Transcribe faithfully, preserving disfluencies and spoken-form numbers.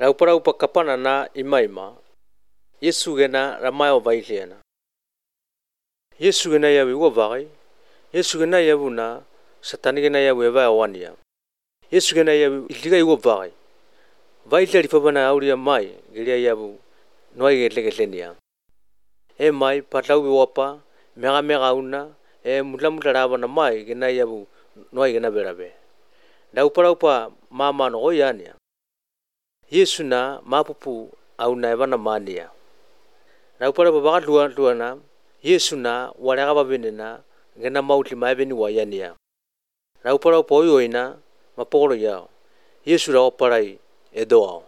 Raupara upa kapana na imaima. Yesu gena ramayo vailiana. Yesu gena yawi wavai. Yesu gena yavuna satani gena yawi eva awania. Yesu gena yawi iliga iwavai. Vaili rifabana auria mai gilia yavu noai getlegetlenia. E mai patau wapa mega mega una e mula mula ravana mai gena yavu noai gena berabe. Raupara upa mama no oyania. Yesu na mapupu au na evana mania. Raupara baba dua dua na Yesu na walaga babenena gena mauti maibeni wayania. Raupara upa oyoina maporo yao. Yesu raoparai edoao.